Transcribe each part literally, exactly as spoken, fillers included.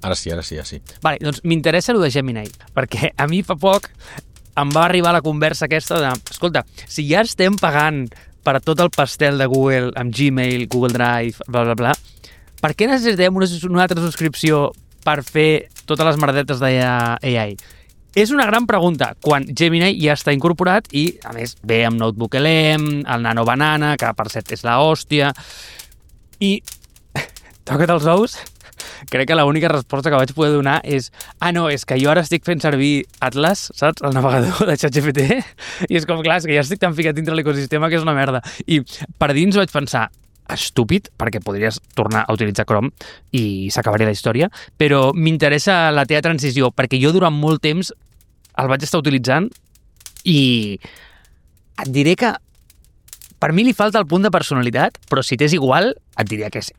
Ara sí, ara sí, ara sí. Vale, doncs m'interessa el de Gemini, perquè a mi fa poc em va arribar la conversa aquesta de, escolta, si ja estem pagant per tot el pastel de Google amb Gmail, Google Drive, bla, bla, bla, per què necessitem una, una altra subscripció per fer totes les merdetes d'A I? És una gran pregunta, quan Gemini ja està incorporat i, a més, ve amb Notebook L M, el Nano Banana, que per cert és la hòstia, i toca't els ous, crec que l'única resposta que vaig poder donar és ah, no, és que jo ara estic fent servir Atlas, saps? El navegador de ChatGPT, i és com, clar, és que ja estic tan ficat dintre l'ecosistema que és una merda. I per dins vaig pensar, estúpid, perquè podries tornar a utilitzar Chrome i s'acabaria la història, però m'interessa la teva transició, perquè jo durant molt temps el vaig estar utilitzant i et diré que per mi li falta el punt de personalitat, però si t'és igual, et diria que és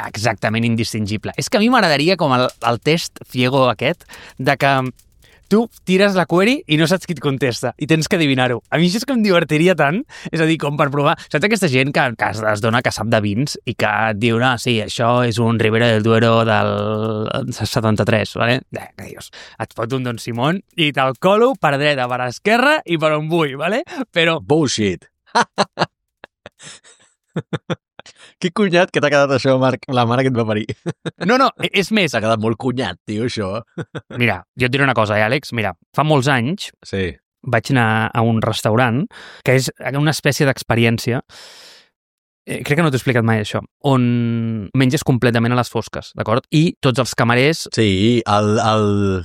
exactament indistingible. És que a mi m'agradaria com el, el test ciego aquest, de que tu tires la query i no saps qui et contesta i tens que adivinar-ho. A mi això és que em divertiria tant, és a dir, com per provar. Saps aquesta gent que, que es dona que sap de vins i que et diu, no, sí, això és un Ribera del Duero del setanta-tres, vale? Eh, que dius, et fot un Don Simón i te'l colo per dreta, per esquerra i per on vull, vale? Però... Bullshit! Que cunyat que t'ha quedat això, Marc, la mare que et va parir. No, no, és més... T'ha quedat molt cunyat, tio, això. Mira, jo et diré una cosa, eh, Àlex? Mira, fa molts anys sí. vaig anar a un restaurant que és una espècie d'experiència, eh, crec que no t'he explicat mai això, on menges completament a les fosques, d'acord? I tots els camarers... Sí, el... el...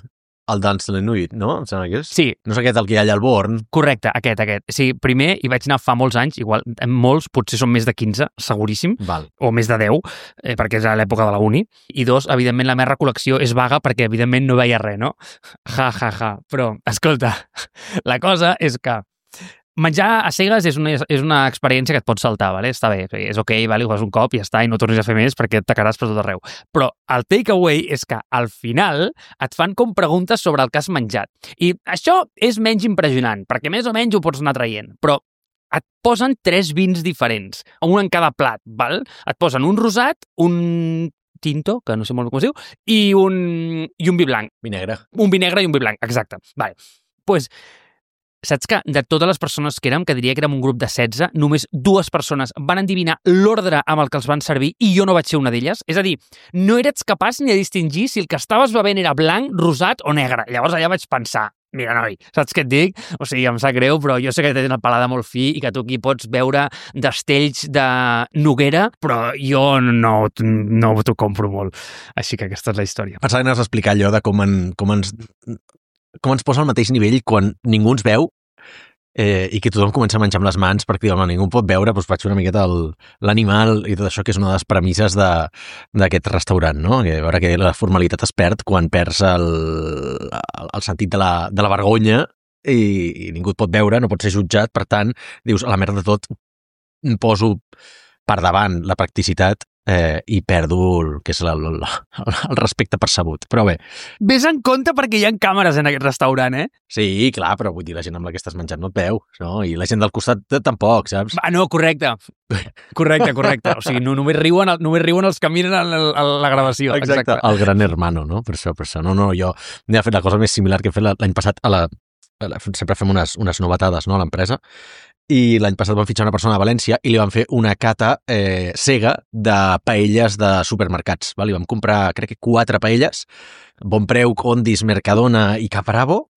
El Dans de l'Inuit, no? Em sembla que és? Sí. No és aquest el que hi ha allà al Born? Correcte, aquest, aquest. Sí, primer hi vaig anar fa molts anys, igual, molts, potser són més de quinze, seguríssim, Val. o més de deu, eh, perquè és a l'època de la uni. I dos, evidentment, la meva recol·lecció és vaga perquè, evidentment, no veia res, no? Ja, ja, ja. Però, escolta, la cosa és que menjar a cegues és una, és una experiència que et pots saltar, vale? Està bé, és ok, vale? Ho fas un cop i ja està, i no tornis a fer més perquè et tacaràs per tot arreu. Però el takeaway és que al final et fan com preguntes sobre el que has menjat. I això és menys impressionant, perquè més o menys ho pots anar traient, però et posen tres vins diferents, un en cada plat, val? Et posen un rosat, un tinto, que no sé molt com es diu, i un, i un vi blanc. Vi negre. Un vi negre i un vi blanc, exacte. Vale. Pues, saps que de totes les persones que érem, que diria que érem un grup de setze, només dues persones van endevinar l'ordre amb el que els van servir i jo no vaig ser una d'elles? És a dir, no eres capaç ni de distingir si el que estaves bevent era blanc, rosat o negre. Llavors allà vaig pensar, mira, noi, saps què et dic? O sigui, em sap greu, però jo sé que tens el paladar molt fi i que tu aquí pots veure destells de noguera, però jo no, no t'ho compro molt. Així que aquesta és la història. Pensava que anaves a explicar allò de com, en, com ens... com ens posa al mateix nivell quan ningú ens veu eh, i que tothom comença a menjar amb les mans perquè home, ningú pot veure, doncs vaig fer una miqueta l'animal i tot això, que és una de les premisses d'aquest restaurant, no? Que, a veure que la formalitat es perd quan perds el, el, el sentit de la, de la vergonya i, i ningú et pot veure, no pot ser jutjat, per tant, dius, a la merda de tot, poso per davant la practicitat eh, i perdo el que és el, el, el respecte percebut. Però bé. Ves en compte perquè hi ha càmeres en aquest restaurant, eh? Sí, clar, però vull dir, la gent amb la que estàs menjant no et veu, no? I la gent del costat tampoc, saps? Ah, no, correcte. Correcte, correcte. O sigui, no, només, riuen, només riuen els que miren a la, a la gravació. Exacte. Exacte. El gran hermano, no? Per això, per això. No, no, jo he fet la cosa més similar que he fet l'any passat a la... Sempre fem unes, unes novetades, no?, a l'empresa. I l'any passat vam fitxar una persona a València i li vam fer una cata eh, cega de paelles de supermercats. Val? I vam comprar, crec que quatre paelles, Bon Preu, Condis, Mercadona i Capravo,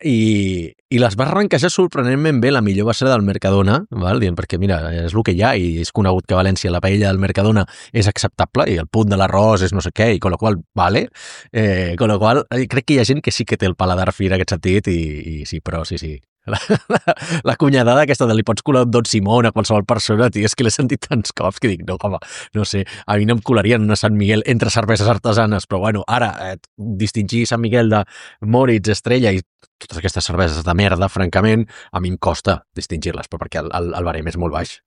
i, i les va arrenquejar sorprenentment bé. La millor va ser del Mercadona, val? Dient, perquè mira, és el que hi ha i és conegut que a València la paella del Mercadona és acceptable i el punt de l'arròs és no sé què, i con la qual vale, eh, con la qual crec que hi ha gent que sí que té el paladar fi en aquest sentit i, i sí, però sí, sí. La, la, la cunyadada aquesta de li pots colar un Don Simón a qualsevol persona, tio, és que l'he sentit tants cops que dic, no, home, no sé, a mi no em colarien una Sant Miguel entre cerveses artesanes, però bueno, ara, eh, distingir Sant Miguel de Moritz, Estrella i totes aquestes cerveses de merda, francament, a mi em costa distingir-les, però perquè el, el, el barem és molt baix.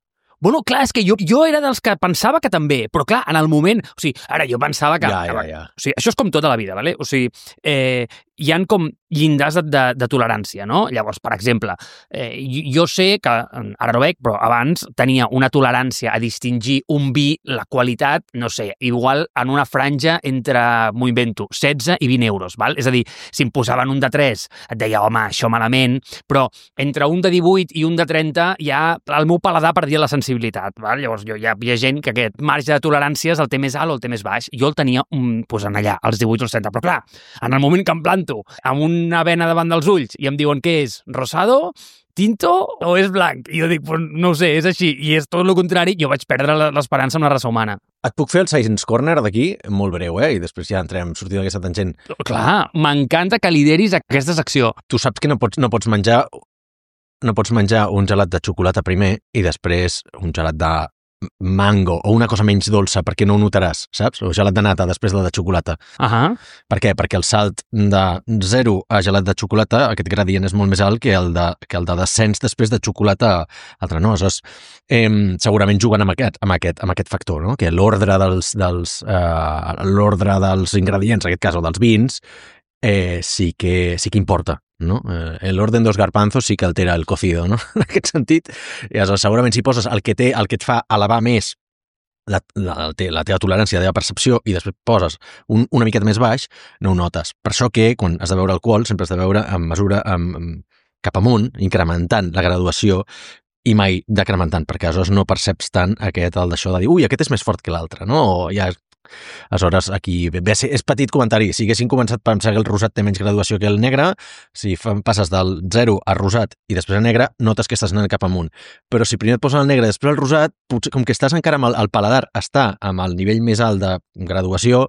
Bueno, clar, és que jo, jo era dels que pensava que també, però clar, en el moment... O sigui, ara jo pensava que... Ja, ja, ja. O sigui, això és com tota la vida, ¿vale? O sigui, eh, hi han com llindars de, de, de tolerància, no? Llavors, per exemple, eh, jo sé que, ara no veig, però abans tenia una tolerància a distingir un vi, la qualitat, no sé, igual en una franja entre, m'ho invento, setze i vint euros, val? És a dir, si em posaven un de tres, et deia, home, això malament, però entre un de divuit i un de trenta ja el meu paladar perdia la sensibilitat, val? Llavors, jo, hi, ha, hi ha gent que aquest marge de toleràncies el té més alt o el té més baix. Jo el tenia um, pues, en allà, als divuit o als trenta, però clar, en el moment que em planto amb una vena davant dels ulls i em diuen què és, rosado, tinto o és blanc? I jo dic, pues, no ho sé, és així. I és tot el contrari, jo vaig perdre l'esperança en la raça humana. Et puc fer el Science Corner d'aquí? Molt breu, eh? I després ja entrem sortint d'aquesta tangent. Clar, m'encanta que lideris aquesta secció. Tu saps que no pots, no pots menjar no pots menjar un gelat de xocolata primer i després un gelat de mango o una cosa menys dolça perquè no ho notaràs, saps? O gelat de nata després de de xocolata. Uh -huh. Per què? Perquè el salt de zero a gelat de xocolata, aquest gradient és molt més alt que el de, que el de descens després de xocolata altra. No? Aleshores, eh, segurament juguen amb aquest, amb aquest, amb aquest factor, no? Que l'ordre dels, dels, eh, l'ordre dels ingredients, en aquest cas, o dels vins, eh, sí, que, sí que importa. No? Eh, el orden dels garbanzos sí que altera el cocido, no? En aquest sentit. I aleshores, segurament si poses el que té, el que et fa elevar més la, la, la teva tolerància, la teva percepció, i després poses un, una miqueta més baix, no ho notes. Per això que quan has de beure alcohol sempre has de beure en mesura amb, amb, cap amunt, incrementant la graduació i mai decrementant, perquè aleshores no perceps tant aquest, el d'això de dir, ui, aquest és més fort que l'altre, no? O ja aleshores, aquí, bé, és petit comentari. Si haguessin començat per pensar que el rosat té menys graduació que el negre, si passes del zero a rosat i després a negre, notes que estàs anant cap amunt. Però si primer et posen el negre i després el rosat, potser, com que estàs encara amb el, el paladar està amb el nivell més alt de graduació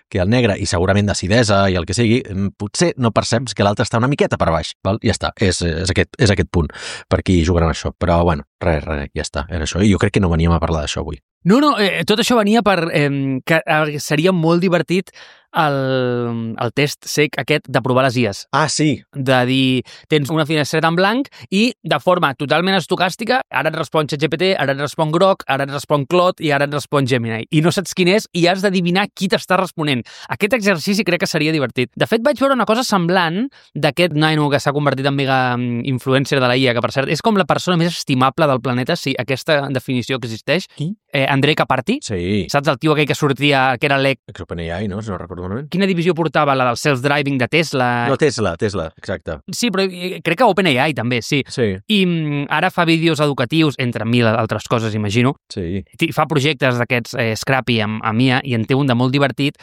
que el negre i segurament d'acidesa i el que sigui, potser no perceps que l'altre està una miqueta per baix. Val? Ja està, és, és, aquest, és aquest punt per aquí jugaran això. Però, bueno, res, res, ja està, era això. I jo crec que no veníem a parlar d'això avui. No, no, eh, tot això venia per eh, que eh, seria molt divertit el, el test sec aquest de provar les I As. Ah, sí. De dir, tens una finestreta en blanc i de forma totalment estocàstica, ara et respon ChatGPT, ara et respon Grok, ara et respon Claude i ara et respon Gemini. I no saps quin és i has d'adivinar qui t'està responent. Aquest exercici crec que seria divertit. De fet, vaig veure una cosa semblant d'aquest nano que s'ha convertit en mega influencer de la I A, que per cert és com la persona més estimable del planeta, si aquesta definició existeix. Qui? Eh, Andrej Karpathy. Sí. Saps el tio aquell que sortia, que era l'E C? OpenAI, no? Si no recordo malament. Quina divisió portava? La del self-driving de Tesla? No, Tesla, Tesla, exacte. Sí, però crec que OpenAI també, sí. Sí. I mm, ara fa vídeos educatius, entre mil altres coses, imagino. Sí. Fa projectes d'aquests eh, Scrappy amb, amb I A i en té un de molt divertit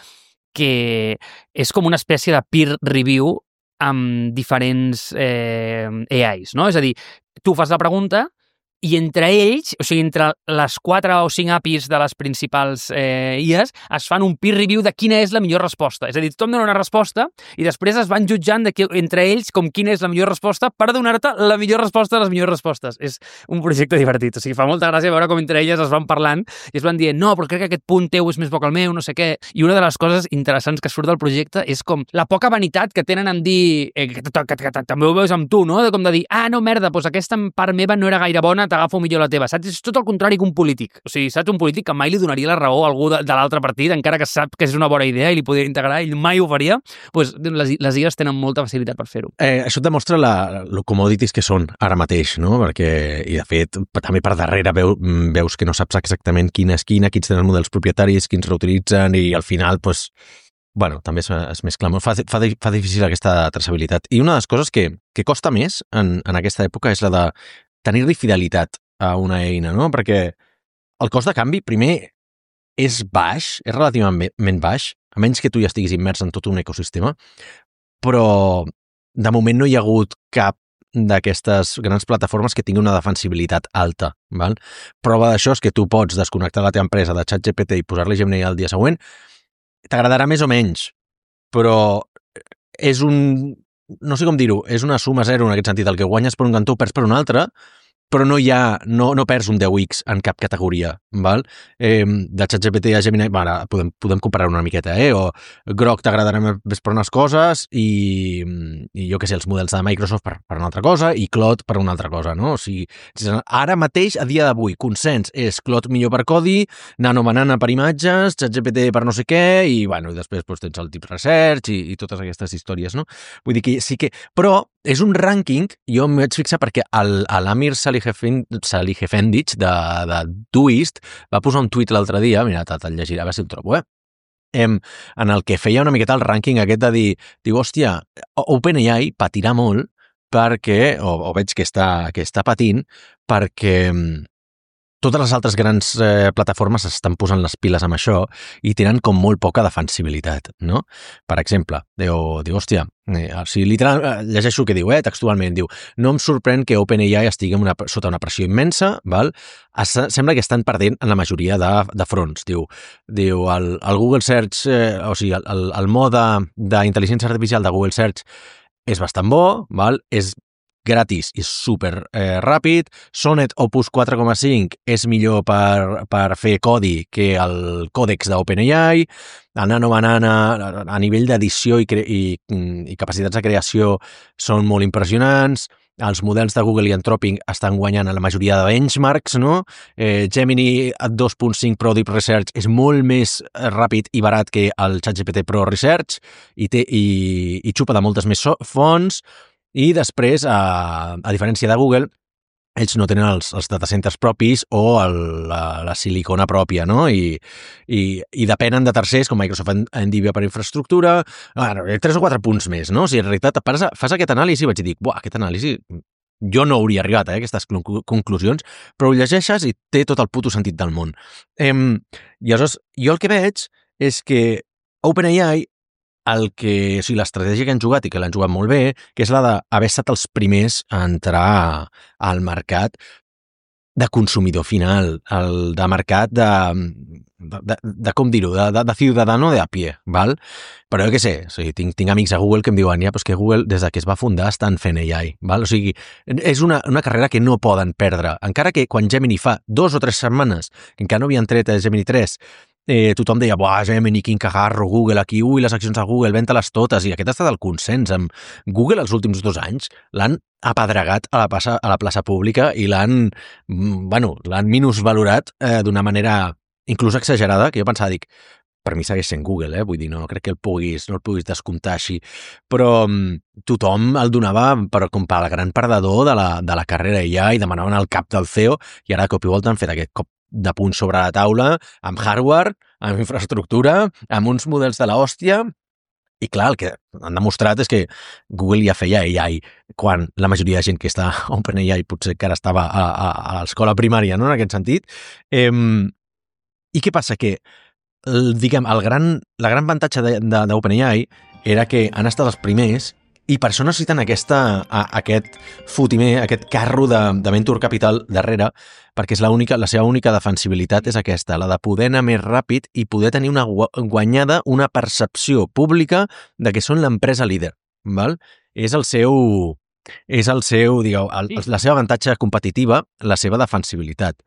que és com una espècie de peer review amb diferents eh, A Is, no? És a dir, tu fas la pregunta i entre ells, o sigui, entre les quatre o cinc A P Is de les principals eh, I As, es fan un peer review de quina és la millor resposta. És a dir, tothom dona una resposta i després es van jutjant de que, entre ells com quina és la millor resposta per donar-te la millor resposta de les millors respostes. És un projecte divertit. O sigui, fa molta gràcia veure com entre elles es van parlant i es van dient, no, però crec que aquest punt teu és més bo que el meu, no sé què. I una de les coses interessants que surt del projecte és com la poca vanitat que tenen en dir, eh, que, que, que, que també ho veus amb tu, no? De com de dir, ah, no, merda, doncs aquesta part meva no era gaire bona, t'agafo millor la teva, saps? És tot el contrari que un polític. O sigui, saps? Un polític que mai li donaria la raó a algú de, de l'altre partit, encara que sap que és una bona idea i li podria integrar, ell mai ho faria, doncs les, les I As tenen molta facilitat per fer-ho. Eh, això et demostra la, lo commodities que són ara mateix, no? Perquè, i de fet, també per darrere veu, veus que no saps exactament quina és quina, quins tenen els models propietaris, quins reutilitzen, i al final, doncs, bueno, també és, és més clamor. Fa, fa, fa difícil aquesta traçabilitat. I una de les coses que, que costa més en, en aquesta època és la de tenir-li fidelitat a una eina, no? Perquè el cost de canvi, primer, és baix, és relativament baix, a menys que tu ja estiguis immers en tot un ecosistema, però de moment no hi ha hagut cap d'aquestes grans plataformes que tingui una defensibilitat alta, val? Prova d'això és que tu pots desconnectar la teva empresa de ChatGPT i posar-li Gemini al dia següent, t'agradarà més o menys, però és un... no sé com dir-ho, és una suma zero en aquest sentit, el que guanyes per un cantó perds per un altre, però no hi ha, no, no perds un deu ics en cap categoria, val? Eh, de ChatGPT a Gemini, bueno, podem, podem comparar una miqueta, eh? O Grok t'agradarà més per unes coses i, i jo què sé, els models de Microsoft per, per una altra cosa i Claude per una altra cosa, no? O sigui, ara mateix, a dia d'avui, consens és Claude millor per codi, Nano Banana per imatges, ChatGPT per no sé què, i, bueno, i després doncs, tens el Deep Research i, i totes aquestes històries, no? Vull dir que sí que... Però és un rànquing, jo m'hi vaig fixar perquè l'Amir Salihefendic de, de Doist va posar un tuit l'altre dia, mira, te'l llegiré, a veure si el trobo, eh? Em, en el que feia una miqueta el rànquing aquest de dir, diu, hòstia, OpenAI patirà molt perquè, o, o veig que està, que està patint, perquè totes les altres grans eh, plataformes estan posant les piles amb això i tenen com molt poca defensibilitat, no? Per exemple, diu, diu hòstia, eh, si literal, eh, llegeixo el que diu, eh, textualment, diu, no em sorprèn que OpenAI estigui una, sota una pressió immensa, val? Es, sembla que estan perdent en la majoria de, de fronts, diu, diu el, el Google Search, eh, o sigui, el, el, el mode d'intel·ligència artificial de Google Search és bastant bo, val? És gratis i super eh, ràpid. Sonnet Opus quatre coma cinc és millor per, per fer codi que el còdex d'OpenAI. El Nano Banana, a nivell d'edició i, i, i capacitats de creació, són molt impressionants. Els models de Google i Anthropic estan guanyant a la majoria de benchmarks, no? Eh, Gemini dos punt cinc Pro Deep Research és molt més ràpid i barat que el ChatGPT Pro Research i, té, i, i xupa de moltes més so fonts. I després, a, a diferència de Google, ells no tenen els, els datacenters propis o el, la, la silicona pròpia, no? I, i, i depenen de tercers, com Microsoft Nvidia per infraestructura, bueno, tres o quatre punts més, no? O sigui, en realitat, fas, fas aquest anàlisi i vaig dir, buah, aquest anàlisi... Jo no hauria arribat a eh, aquestes conclusions, però ho llegeixes i té tot el puto sentit del món. Eh, I aleshores, jo el que veig és que OpenAI el que, o sigui, l'estratègia que han jugat i que l'han jugat molt bé, que és la d'haver estat els primers a entrar al mercat de consumidor final, el de mercat de, de, de, de com dir-ho, de, de, de ciudadano de a pie, val? Però jo què sé, o sigui, tinc, tinc amics a Google que em diuen, ja, però és que Google, des de que es va fundar, estan fent A I, val? O sigui, és una, una carrera que no poden perdre, encara que quan Gemini fa dos o tres setmanes, que encara no havien tret a Gemini tres, Eh, tothom deia, buah, Gemini, quin cagarro, Google, aquí, ui, les accions de Google, venta-les totes, i aquest ha estat el consens. Amb Google els últims dos anys l'han apedregat a la plaça, a la plaça pública i l'han, bueno, l'han minusvalorat eh, d'una manera inclús exagerada, que jo pensava, dic, per mi segueix sent Google, eh? Vull dir, no crec que el puguis, no el puguis descomptar així, però um, tothom el donava per, com per al gran perdedor de la, de la carrera ja i demanaven el cap del C E O i ara cop i volta han fet aquest cop de punt sobre la taula, amb hardware, amb infraestructura, amb uns models de l'hòstia, i clar, el que han demostrat és que Google ja feia A I quan la majoria de gent que està a OpenAI potser encara estava a, a, a l'escola primària, no?, en aquest sentit. Eh, I què passa? Que el, diguem, el gran, la gran avantatge d'OpenAI era que han estat els primers i per això necessiten aquesta, a, aquest fotimer, aquest carro de, de venture capital darrere, perquè és la, única, la seva única defensibilitat és aquesta, la de poder anar més ràpid i poder tenir una guanyada, una percepció pública de que són l'empresa líder, val? És el seu, és el seu, digueu, el, la seva avantatge competitiva, la seva defensibilitat.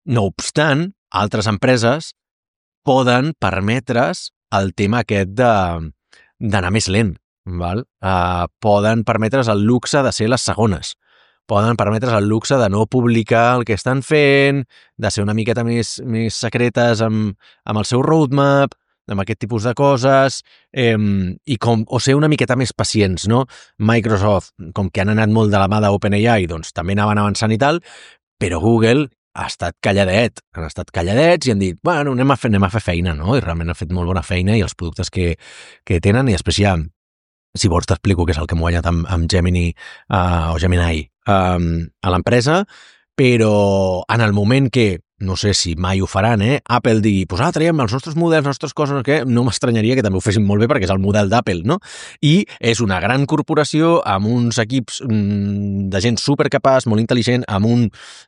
No obstant, altres empreses poden permetre's el tema aquest de d'anar més lent. Val? Uh, poden permetre's el luxe de ser les segones, poden permetre's el luxe de no publicar el que estan fent, de ser una miqueta més, més secretes amb, amb el seu roadmap, amb aquest tipus de coses, eh, i com, o ser una miqueta més pacients, no? Microsoft, com que han anat molt de la mà d'OpenAI, doncs també anaven avançant i tal, però Google ha estat calladet, han estat calladets i han dit, bueno, anem a fer, anem a fer feina, no? I realment han fet molt bona feina i els productes que, que tenen, i després ja si vols t'explico què és el que hem guanyat amb, amb Gemini uh, o Gemini um, a l'empresa, però en el moment que, no sé si mai ho faran, eh, Apple digui, pues ah, traiem els nostres models, les nostres coses, que no m'estranyaria que també ho fessin molt bé perquè és el model d'Apple, no? I és una gran corporació amb uns equips mm, de gent supercapaç, molt intel·ligent, amb un,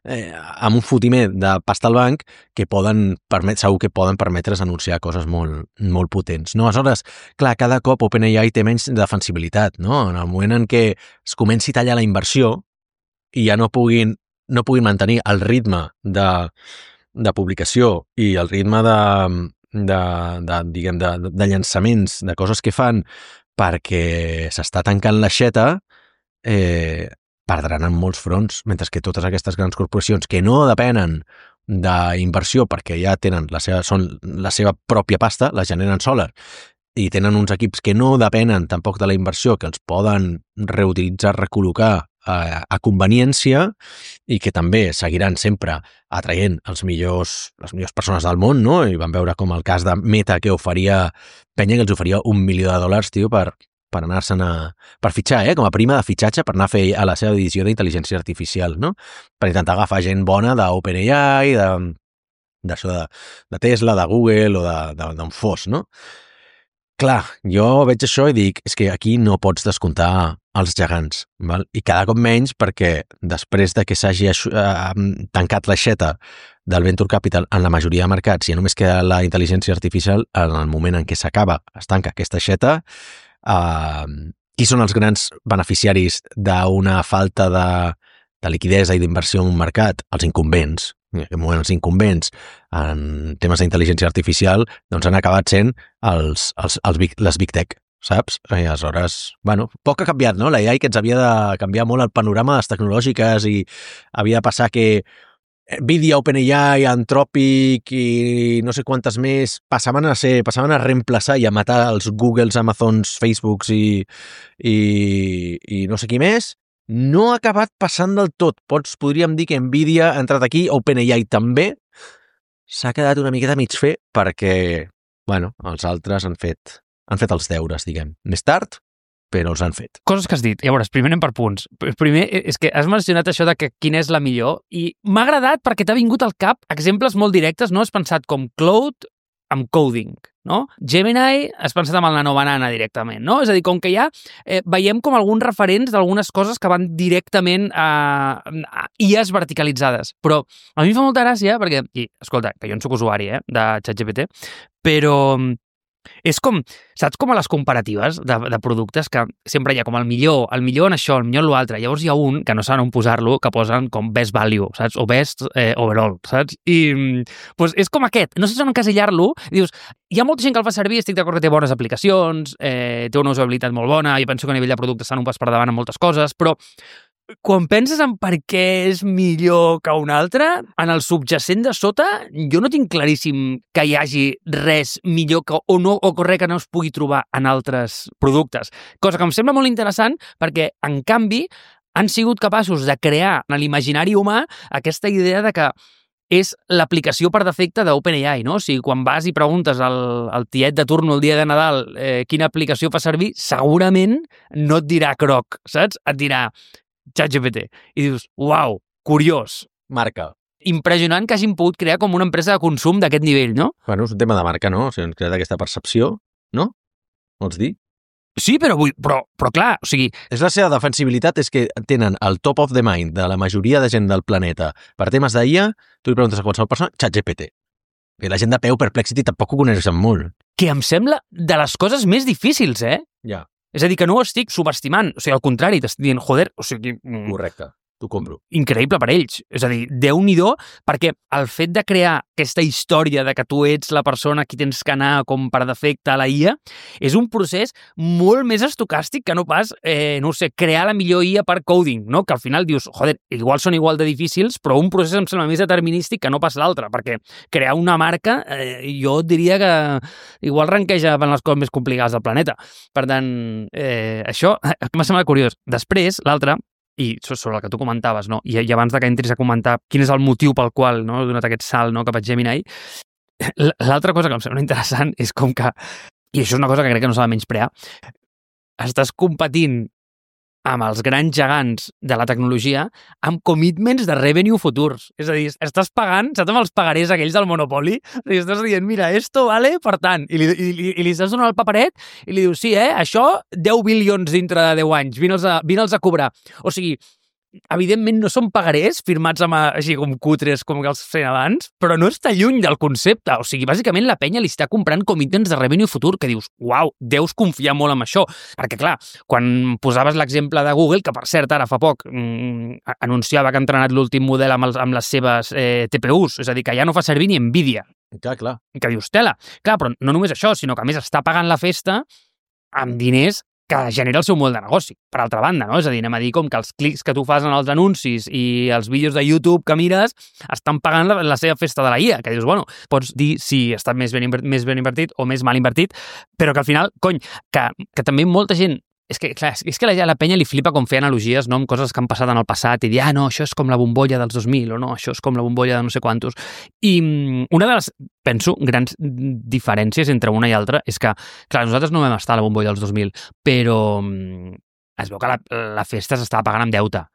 eh, amb un fotimer de pasta al banc que poden permet, segur que poden permetre's anunciar coses molt, molt potents, no? Aleshores, clar, cada cop OpenAI té menys defensibilitat, no? En el moment en què es comenci a tallar la inversió i ja no puguin no puguin mantenir el ritme de, de publicació i el ritme de, de, de, diguem, de, de llançaments, de coses que fan, perquè s'està tancant l'aixeta, eh, perdran en molts fronts, mentre que totes aquestes grans corporacions que no depenen d'inversió perquè ja tenen la seva, són la seva pròpia pasta, la generen soles, i tenen uns equips que no depenen tampoc de la inversió, que els poden reutilitzar, recol·locar a, a conveniència i que també seguiran sempre atraient els millors, les millors persones del món, no? I vam veure com el cas de Meta, que oferia, penya que els oferia un milió de dòlars, tio, per, per anar-se'n a... per fitxar, eh? Com a prima de fitxatge per anar a fer a la seva divisió d'intel·ligència artificial, no? Per intentar agafar gent bona d'OpenAI, de, d'això de, de Tesla, de Google o d'on fos, no? Clar, jo veig això i dic, és que aquí no pots descomptar els gegants, val? I cada cop menys perquè després de que s'hagi uh, tancat l'aixeta del Venture Capital en la majoria de mercats i ja només queda la intel·ligència artificial, en el moment en què s'acaba, es tanca aquesta aixeta, uh, qui són els grans beneficiaris d'una falta de, de liquidesa i d'inversió en un mercat? Els incumbents. En aquest moment els incumbents en temes d'intel·ligència artificial doncs han acabat sent els, els, els big, les Big Tech, saps? I aleshores, bueno, poc ha canviat, no? La A I que ens havia de canviar molt el panorama de les tecnològiques i havia de passar que Nvidia, OpenAI, Anthropic i no sé quantes més passaven a ser, passaven a reemplaçar i a matar els Googles, Amazons, Facebooks i, i, i no sé qui més. No ha acabat passant del tot. Pots, podríem dir que Nvidia ha entrat aquí, OpenAI també. S'ha quedat una miqueta mig fer perquè, bueno, els altres han fet, han fet els deures, diguem. Més tard, però els han fet. Coses que has dit. Llavors, primer anem per punts. Primer, és que has mencionat això de que quina és la millor i m'ha agradat perquè t'ha vingut al cap exemples molt directes, no? Has pensat com Claude amb coding, no? Gemini has pensat amb el nanobanana directament, no? És a dir, com que ja eh, veiem com alguns referents d'algunes coses que van directament a, a I As verticalitzades. Però a mi em fa molta gràcia perquè, i escolta, que jo en soc usuari eh, de ChatGPT, però és com, saps com a les comparatives de, de productes que sempre hi ha com el millor, el millor en això, el millor en l'altre. Llavors hi ha un que no saben on posar-lo, que posen com best value, saps? O best eh, overall, saps? I pues, és com aquest. No sé si on encasillar-lo. Dius, hi ha molta gent que el fa servir, estic d'acord que té bones aplicacions, eh, té una usabilitat molt bona, jo penso que a nivell de productes estan un pas per davant en moltes coses, però quan penses en per què és millor que un altre, en el subjacent de sota, jo no tinc claríssim que hi hagi res millor que, o, no, o res que no es pugui trobar en altres productes. Cosa que em sembla molt interessant perquè, en canvi, han sigut capaços de crear en l'imaginari humà aquesta idea de que és l'aplicació per defecte d'OpenAI, no? O sigui, quan vas i preguntes al, al tiet de turno el dia de Nadal eh, quina aplicació fa servir, segurament no et dirà Croc, saps? Et dirà ChatGPT. I dius, uau, curiós. Marca. Impressionant que hagin pogut crear com una empresa de consum d'aquest nivell, no? Bueno, és un tema de marca, no? O sigui, han creat aquesta percepció, no? Vols dir? Sí, però, vull, però, però clar, o sigui... És la seva defensibilitat, és que tenen el top of the mind de la majoria de gent del planeta per temes d'I A, tu li preguntes a qualsevol persona, ChatGPT. I la gent de peu, Perplexity, tampoc ho coneixen molt. Que em sembla de les coses més difícils, eh? Ja. És a dir, que no ho estic subestimant. O sigui, al contrari, t'estic dient, joder, o sigui... Correcte, t'ho compro. Increïble per ells. És a dir, Déu-n'hi-do, perquè el fet de crear aquesta història de que tu ets la persona qui tens que anar com per defecte a la I A és un procés molt més estocàstic que no pas, eh, no sé, crear la millor I A per coding, no? Que al final dius, joder, igual són igual de difícils, però un procés em sembla més determinístic que no pas l'altre, perquè crear una marca, eh, jo diria que igual ranqueja en les coses més complicades del planeta. Per tant, eh, això m'ha semblat curiós. Després, l'altre, i sobre el que tu comentaves, no? I, i abans de que entris a comentar quin és el motiu pel qual no, he donat aquest salt no, cap a Gemini, l'altra cosa que em sembla interessant és com que, i això és una cosa que crec que no s'ha de menysprear, estàs competint amb els grans gegants de la tecnologia amb commitments de revenue futurs. És a dir, estàs pagant, saps amb els pagarés aquells del Monopoly? És a dir, estàs dient, mira, esto vale, per tant, i li, i, i li estàs donant el paperet i li dius, sí, eh, això, deu bilions dintre de deu anys, vine'ls a, vine'ls a cobrar. O sigui, evidentment no són pagarés firmats amb, així com cutres com que els feien abans, però no està lluny del concepte. O sigui, bàsicament la penya li està comprant commitments de revenue futur que dius, uau, deus confiar molt en això. Perquè, clar, quan posaves l'exemple de Google, que per cert ara fa poc mmm, anunciava que ha entrenat l'últim model amb, els, amb les seves eh, T P Us, és a dir, que ja no fa servir ni Nvidia. Clar, clar. Que dius, tela. Clar, però no només això, sinó que a més està pagant la festa amb diners que genera el seu model de negoci, per altra banda, no? És a dir, anem a dir com que els clics que tu fas en els anuncis i els vídeos de YouTube que mires estan pagant la, la seva festa de la I A, que dius, bueno, pots dir si està més ben, invertit, més ben invertit o més mal invertit, però que al final, cony, que, que també molta gent és que, clar, és que la, la penya li flipa com fer analogies, no?, amb coses que han passat en el passat i dir, ah, no, això és com la bombolla dels dos mil o no, això és com la bombolla de no sé quantos. I una de les, penso, grans diferències entre una i altra és que, clar, nosaltres no vam estar a la bombolla dels dos mil, però es veu que la, la festa s'estava pagant amb deute.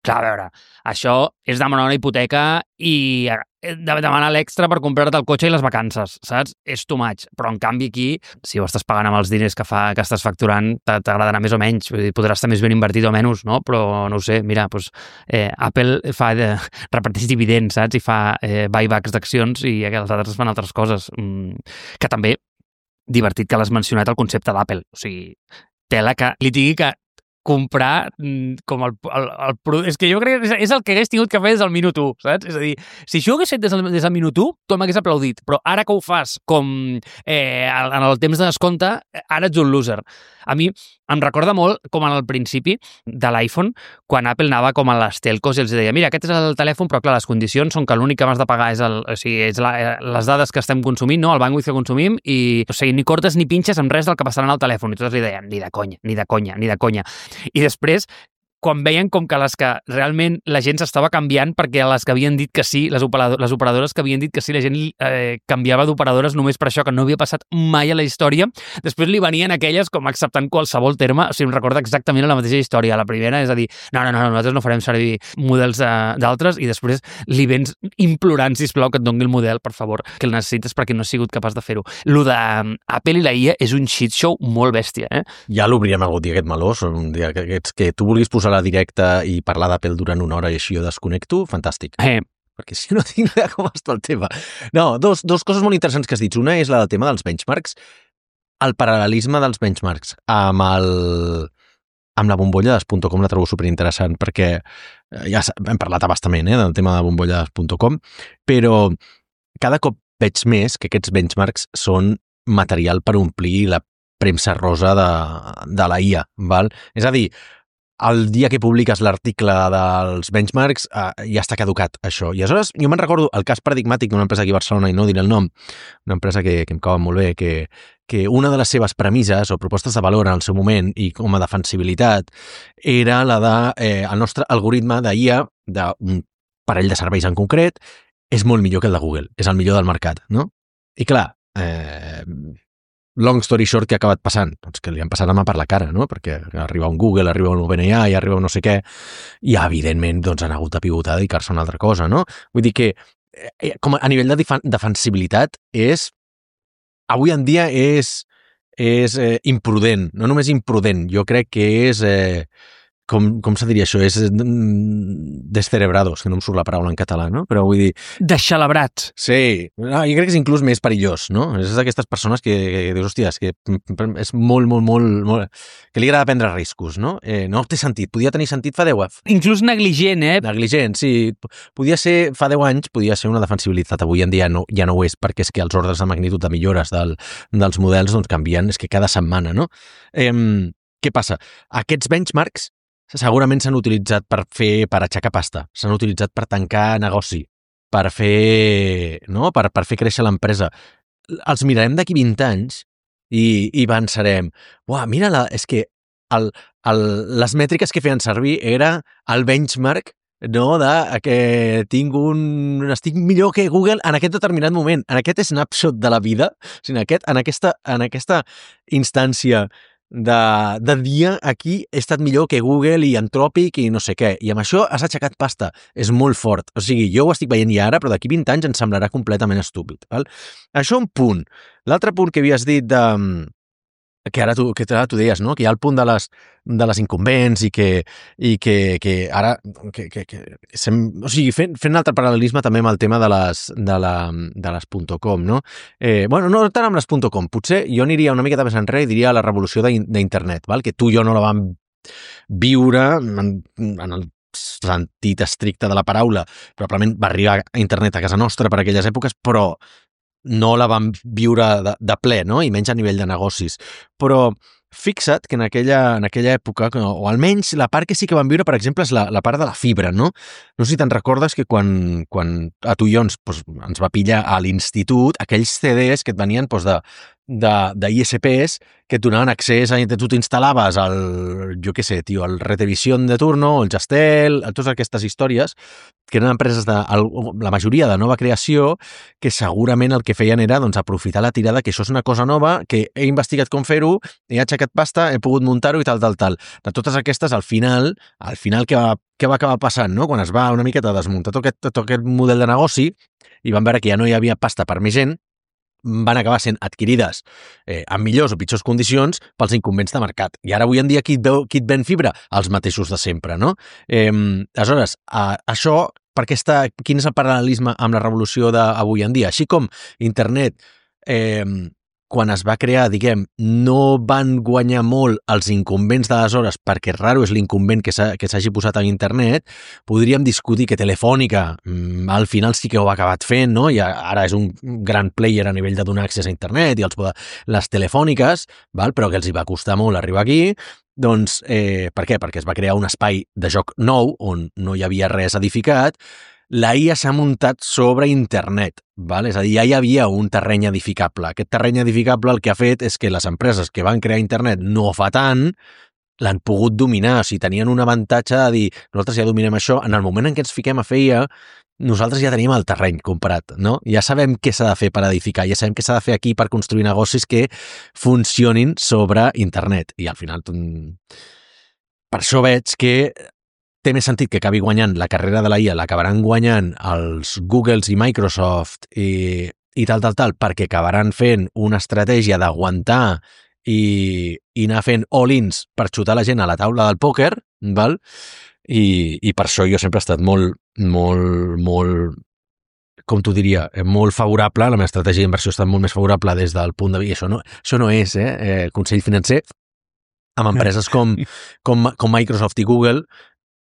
Clar, a veure, això és demanar una hipoteca i demanar l'extra per comprar-te el cotxe i les vacances, saps? És too much. Però, en canvi, aquí, si ho estàs pagant amb els diners que, fa, que estàs facturant, t'agradarà més o menys. Vull dir, podrà estar més ben invertit o menys, no? Però, no ho sé, mira, doncs, eh, Apple fa de, reparteix dividends, saps? I fa eh, buybacks d'accions i els altres fan altres coses. Mm, que també, divertit que l'has mencionat, el concepte d'Apple. O sigui, tela que li digui que comprar com el, el, el producte... És que jo crec que és el que hagués tingut que fer des del minut u, saps? És a dir, si això ho hagués fet des del, des del minut u, tu m'hagués aplaudit, però ara que ho fas com eh, en el temps de descompte, ara ets un loser. A mi em recorda molt com al principi de l'iPhone, quan Apple anava com a les telcos i els deia, mira, aquest és el telèfon, però clar, les condicions són que l'únic que m'has de pagar és, el, o sigui, és la, les dades que estem consumint, no? El bandwidth que consumim, i o sigui, ni cortes ni pinxes amb res del que passarà en el telèfon. I tots li deien, ni de conya, ni de conya, ni de conya. I després, quan veien com que les que realment la gent s'estava canviant perquè les que havien dit que sí, les, operador, les operadores que havien dit que sí, la gent eh, canviava d'operadores només per això, que no havia passat mai a la història, després li venien aquelles com acceptant qualsevol terme, o sigui, em recorda exactament la mateixa història. La primera és a dir, no, no, no, nosaltres no farem servir models d'altres, i després li vens implorant, sisplau, que et doni el model, per favor, que el necessites perquè no has sigut capaç de fer-ho. Lo d'Apple i la I A és un shit show molt bèstia, eh? Ja l'obríem algun dia, aquest meló, un dia que, que, que tu vulguis posar la directa i parlar d'Apple durant una hora i així jo desconnecto, fantàstic. Eh. Perquè si no tinc idea com està el tema. No, dos, dos coses molt interessants que has dit. Una és la del tema dels benchmarks, el paral·lelisme dels benchmarks amb el amb la bombolla de .com la trobo superinteressant, perquè ja hem parlat abastament eh, del tema de bombolla de .com, però cada cop veig més que aquests benchmarks són material per omplir la premsa rosa de, de la I A, val? És a dir, el dia que publiques l'article dels benchmarks eh, ja està caducat, això. I aleshores, jo me'n recordo el cas paradigmàtic d'una empresa aquí a Barcelona, i no diré el nom, una empresa que, que em cau molt bé, que, que una de les seves premisses o propostes de valor en el seu moment i com a defensibilitat era la de eh, el nostre algoritme d'I A d'un parell de serveis en concret és molt millor que el de Google, és el millor del mercat, no? I clar, eh, long story short, què ha acabat passant? Doncs que li han passat la mà per la cara, no? Perquè arriba un Google, arriba un OpenAI, arriba un no sé què, i evidentment doncs, han hagut de pivotar a dedicar-se a una altra cosa, no? Vull dir que eh, com a nivell de defensibilitat és, avui en dia és, és eh, imprudent, no només imprudent, jo crec que és... Eh, Com, com se diria això? És descerebrados, que no em surt la paraula en català, no? Però vull dir... Deixelebrats. Sí, no, jo crec que és inclús més perillós, no? És d'aquestes persones que, que, que dius, hòstia, és que és molt, molt, molt, molt... que li agrada prendre riscos, no? Eh, no té sentit, podia tenir sentit fa deu anys. Inclús negligent, eh? Negligent, sí. Podia ser, fa deu anys, podia ser una defensibilitat. Avui en dia no, ja no ho és, perquè és que els ordres de magnitud de millores del, dels models doncs, canvien, és que cada setmana, no? Eh, què passa? Aquests benchmarks segurament s'han utilitzat per fer, per aixecar pasta, s'han utilitzat per tancar negoci, per fer, no? per, per fer créixer l'empresa. Els mirarem d'aquí vint anys i, i pensarem, uah, mira, la, és que el, el, les mètriques que feien servir era el benchmark, no, de que tinc un... estic millor que Google en aquest determinat moment, en aquest snapshot de la vida, o sigui, en, aquest, en, aquesta, en aquesta instància de, de dia aquí he estat millor que Google i Anthropic i no sé què, i amb això has aixecat pasta, és molt fort, o sigui, jo ho estic veient ja ara, però d'aquí vint anys ens semblarà completament estúpid, val? Això un punt. L'altre punt que havies dit de, que ara tu, que ara tu deies, no? Que hi ha el punt de les, de les incumbents i que, i que, que ara... Que, que, que sem, o sigui, fent, fent un altre paral·lelisme també amb el tema de les, de la, de les .com, no? Eh, bueno, no tant amb les .com. Potser jo aniria una miqueta més enrere i diria la revolució d'internet, val? Que tu i jo no la vam viure en, en el sentit estricte de la paraula. Probablement va arribar a internet a casa nostra per aquelles èpoques, però no la vam viure de, de ple, no? I menys a nivell de negocis. Però fixa't que en aquella, en aquella època, o almenys la part que sí que vam viure, per exemple, és la, la part de la fibra, no? No sé si te'n recordes que quan, quan a tu i jo ens, doncs, ens va pillar a l'institut, aquells C Ds que et venien doncs, de, de, de I S Ps que et donaven accés a... Tu t'instal·laves el, jo què sé, tio, el Retevisión de turno, el Jastel, totes aquestes històries, que eren empreses de... la majoria de nova creació, que segurament el que feien era doncs, aprofitar la tirada, que això és una cosa nova, que he investigat com fer-ho, he aixecat pasta, he pogut muntar-ho i tal, tal, tal. De totes aquestes, al final, al final què va, què va acabar passant, no? Quan es va una miqueta desmuntar tot aquest, tot aquest model de negoci i van veure que ja no hi havia pasta per més gent, van acabar sent adquirides eh, en millors o pitjors condicions pels incumbents de mercat. I ara avui en dia qui et, veu, qui et ven fibra? Els mateixos de sempre, no? Eh, aleshores, a, això, perquè està, quin és el paral·lelisme amb la revolució d'avui en dia? Així com internet, eh, quan es va crear, diguem, no van guanyar molt els incumbents d'aleshores perquè raro és l'incumbent que s'hagi posat a internet, podríem discutir que Telefònica mm, al final sí que ho ha acabat fent, no? I ara és un gran player a nivell de donar accés a internet i els, les telefòniques, val? Però que els hi va costar molt arribar aquí. Doncs, eh, per què? Perquè es va crear un espai de joc nou on no hi havia res edificat. La I A s'ha muntat sobre internet, val? És a dir, ja hi havia un terreny edificable. Aquest terreny edificable el que ha fet és que les empreses que van crear internet no fa tant l'han pogut dominar, o sigui, tenien un avantatge de dir, nosaltres ja dominem això, en el moment en què ens fiquem a fer I A, nosaltres ja tenim el terreny comparat, no? Ja sabem què s'ha de fer per edificar, ja sabem què s'ha de fer aquí per construir negocis que funcionin sobre internet. I al final, per això veig que té més sentit que acabi guanyant la carrera de la I A, l'acabaran guanyant els Googles i Microsoft i, i tal, tal, tal, perquè acabaran fent una estratègia d'aguantar i, i anar fent all-ins per xutar la gent a la taula del pòquer, val? I, i per això jo sempre he estat molt, molt, molt, com t'ho diria, molt favorable, la meva estratègia d'inversió ha estat molt més favorable des del punt de vista, això no, això no és eh, eh, consell financer, amb empreses com, com, com Microsoft i Google,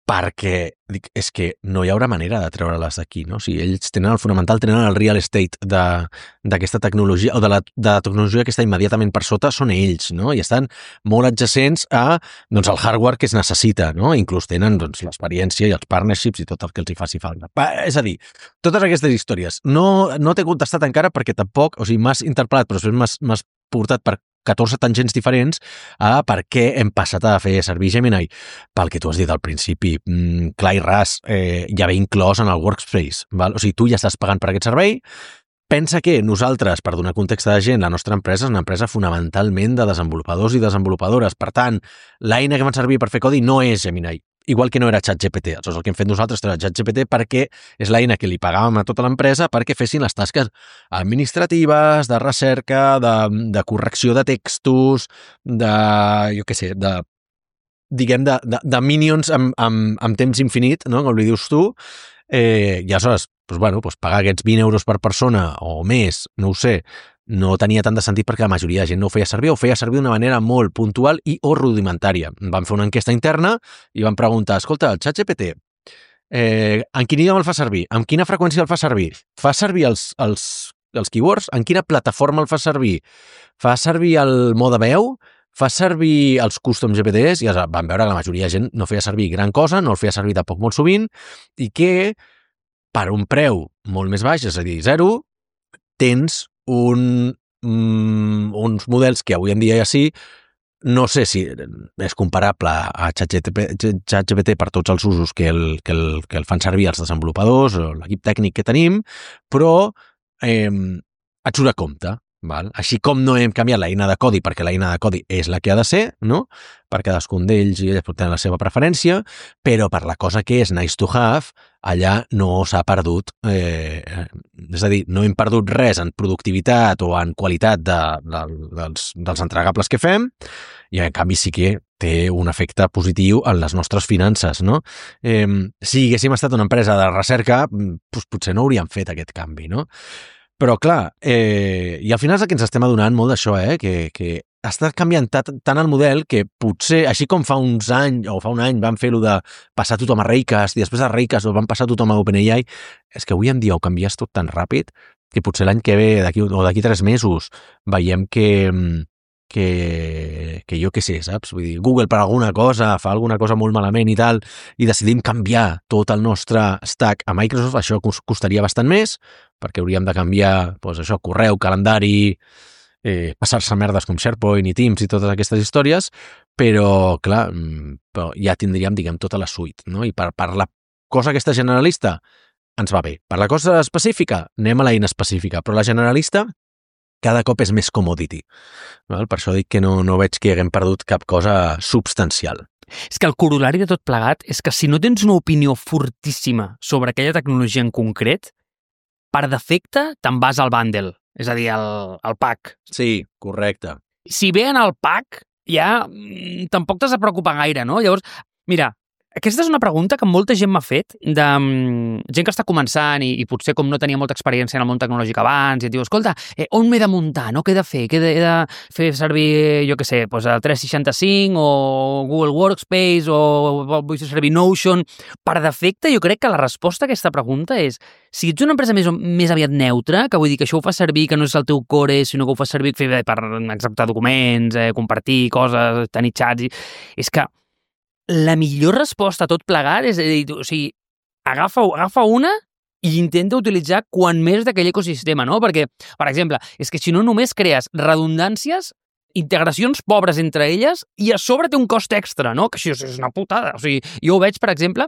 perquè dic, és que no hi haurà manera de treure-les d'aquí, no? O sigui, ells tenen el fonamental, tenen el real estate d'aquesta tecnologia, o de la, de la tecnologia que està immediatament per sota, són ells, no? I estan molt adjacents a doncs, el hardware que es necessita, no? Inclús tenen doncs, l'experiència i els partnerships i tot el que els hi faci falta. És a dir, totes aquestes històries. No, no t'he contestat encara perquè tampoc, o sigui, m'has interpel·lat, però després m'has portat per catorze tangents diferents a per què hem passat a fer servir Gemini. Pel que tu has dit al principi, mm, clar i ras, eh, ja ve inclòs en el Workspace. Val? O sigui, tu ja estàs pagant per aquest servei. Pensa que nosaltres, per donar context a la gent, la nostra empresa és una empresa fonamentalment de desenvolupadors i desenvolupadores. Per tant, l'eina que van servir per fer codi no és Gemini, igual que no era ChatGPT. Aleshores, el que hem fet nosaltres era ChatGPT perquè és l'eina que li pagàvem a tota l'empresa perquè fessin les tasques administratives, de recerca, de, de correcció de textos, de, jo què sé, de, diguem, de, de, de minions amb, amb, amb temps infinit, no? Com li dius tu, eh, i aleshores, doncs, bueno, doncs pagar aquests vint euros per persona o més, no ho sé, no tenia tant de sentit perquè la majoria de gent no ho feia servir o ho feia servir d'una manera molt puntual i o rudimentària. Vam fer una enquesta interna i vam preguntar, escolta, el ChatGPT, eh, en quin idioma el fa servir? Amb quina freqüència el fa servir? Fa servir els, els, els keywords? En quina plataforma el fa servir? Fa servir el mode veu? Fa servir els custom G P Ts? I vam veure que la majoria de gent no feia servir gran cosa, no el feia servir tampoc molt sovint i que per un preu molt més baix, és a dir, zero, tens un, mm, uns models que avui en dia ja sí, no sé si és comparable a ChatGPT per tots els usos que el, que el, que el fan servir els desenvolupadors o l'equip tècnic que tenim, però eh, et surt a compte. Val? Així com no hem canviat l'eina de codi perquè l'eina de codi és la que ha de ser, no? Per cadascun d'ells i elles pot tenir la seva preferència, però per la cosa que és nice to have, allà no s'ha perdut, eh, és a dir, no hem perdut res en productivitat o en qualitat de, de, dels, dels entregables que fem, i en canvi sí que té un efecte positiu en les nostres finances, no? Eh, si haguéssim estat una empresa de recerca, doncs potser no hauríem fet aquest canvi, no? Però, clar, eh, i al final és el que ens estem adonant molt d'això, eh? que, que està canviant tant el model que potser, així com fa uns anys, o fa un any van fer-ho de passar tothom a Raycast, i després de Raycast ho van passar tothom a OpenAI, és que avui en dia ho canvies tot tan ràpid que potser l'any que ve, d'aquí o d'aquí tres mesos, veiem que, que, que jo què sé, saps? Vull dir, Google per alguna cosa fa alguna cosa molt malament i tal, i decidim canviar tot el nostre stack a Microsoft, això costaria bastant més, perquè hauríem de canviar, doncs això, correu, calendari, eh, passar-se merdes com SharePoint i Teams i totes aquestes històries, però, clar, però ja tindríem, diguem, tota la suite, no? I per, per la cosa aquesta generalista ens va bé. Per la cosa específica, anem a l'eina específica, però la generalista cada cop és més commodity. Val? Per això dic que no, no veig que haguem perdut cap cosa substancial. És que el corolari de tot plegat és que si no tens una opinió fortíssima sobre aquella tecnologia en concret, per defecte te'n vas al bundle, és a dir, al, al pack. Sí, correcte. Si ve en el pack, ja tampoc t'has de preocupar gaire, no? Llavors, mira, aquesta és una pregunta que molta gent m'ha fet, de um, gent que està començant i, i potser com no tenia molta experiència en el món tecnològic abans, i et diu, escolta, eh, on m'he de muntar, no? Què he de fer? Què he de, he de fer servir, jo què sé, doncs el tres seixanta-cinc o Google Workspace o vull fer servir Notion? Per defecte, jo crec que la resposta a aquesta pregunta és, si ets una empresa més, més aviat neutra, que vull dir que això ho fa servir, que no és el teu core, sinó que ho fa servir per executar documents, eh, compartir coses, tenir xats, i... és que la millor resposta a tot plegat és a dir, o sigui, agafa, agafa una i intenta utilitzar quan més d'aquell ecosistema, no? Perquè, per exemple, és que si no només crees redundàncies, integracions pobres entre elles i a sobre té un cost extra, no? Que això és una putada. O sigui, jo ho veig, per exemple,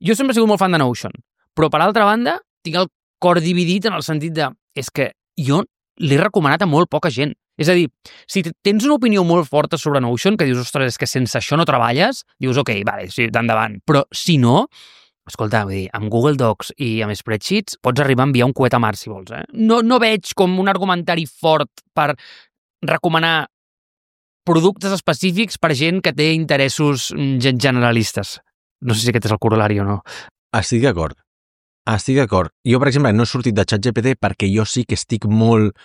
jo sempre he sigut molt fan de Notion, però per altra banda tinc el cor dividit en el sentit de, és que jo l'he recomanat a molt poca gent. És a dir, si tens una opinió molt forta sobre Notion, que dius, ostres, és que sense això no treballes, dius, ok, vale, sí, d'endavant. Però si no, escolta, vull dir, amb Google Docs i amb Spreadsheets pots arribar a enviar un coet a Mars, si vols, eh? No, no veig com un argumentari fort per recomanar productes específics per gent que té interessos generalistes. No sé si aquest és el corolari o no. Estic d'acord. Estic d'acord. Jo, per exemple, no he sortit de ChatGPT perquè jo sí que estic molt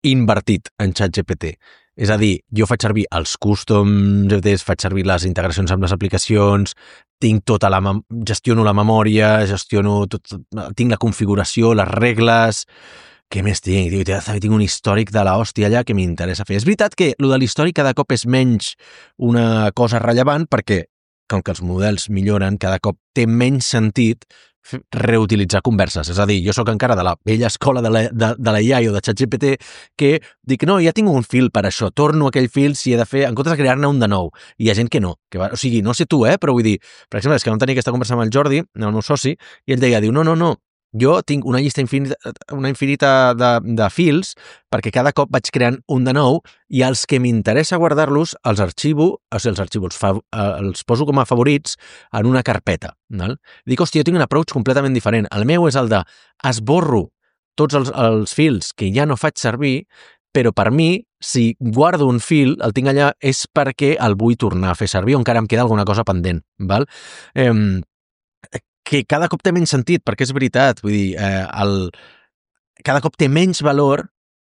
invertit en ChatGPT. És a dir, jo faig servir els custom G P Ts, faig servir les integracions amb les aplicacions, tinc tota la gestiono la memòria, gestiono tot, tinc la configuració, les regles. Què més tinc? Tinc un històric de l'hòstia allà que m'interessa fer. És veritat que el de l'històric cada cop és menys una cosa rellevant perquè, com que els models milloren, cada cop té menys sentit reutilitzar converses. És a dir, jo sóc encara de la vella escola de la, de, de la I A o de ChatGPT que dic, no, ja tinc un fil per això, torno aquell fil si he de fer, en comptes de crear-ne un de nou. I hi ha gent que no. Que va, o sigui, no sé tu, eh, però vull dir, per exemple, és que vam tenir aquesta conversa amb el Jordi, el meu soci, i ell deia, diu, no, no, no, jo tinc una llista infinita, una infinita de, de fils perquè cada cop vaig creant un de nou i els que m'interessa guardar-los els arxivo, o sigui, els arxivo, els, fa, els poso com a favorits en una carpeta. Val? Dic, hòstia, jo tinc un approach completament diferent. El meu és el de esborro tots els, els fils que ja no faig servir, però per mi, si guardo un fil, el tinc allà, és perquè el vull tornar a fer servir o encara em queda alguna cosa pendent. Val? Eh, que cada cop té menys sentit, perquè és veritat, vull dir, eh, el, cada cop té menys valor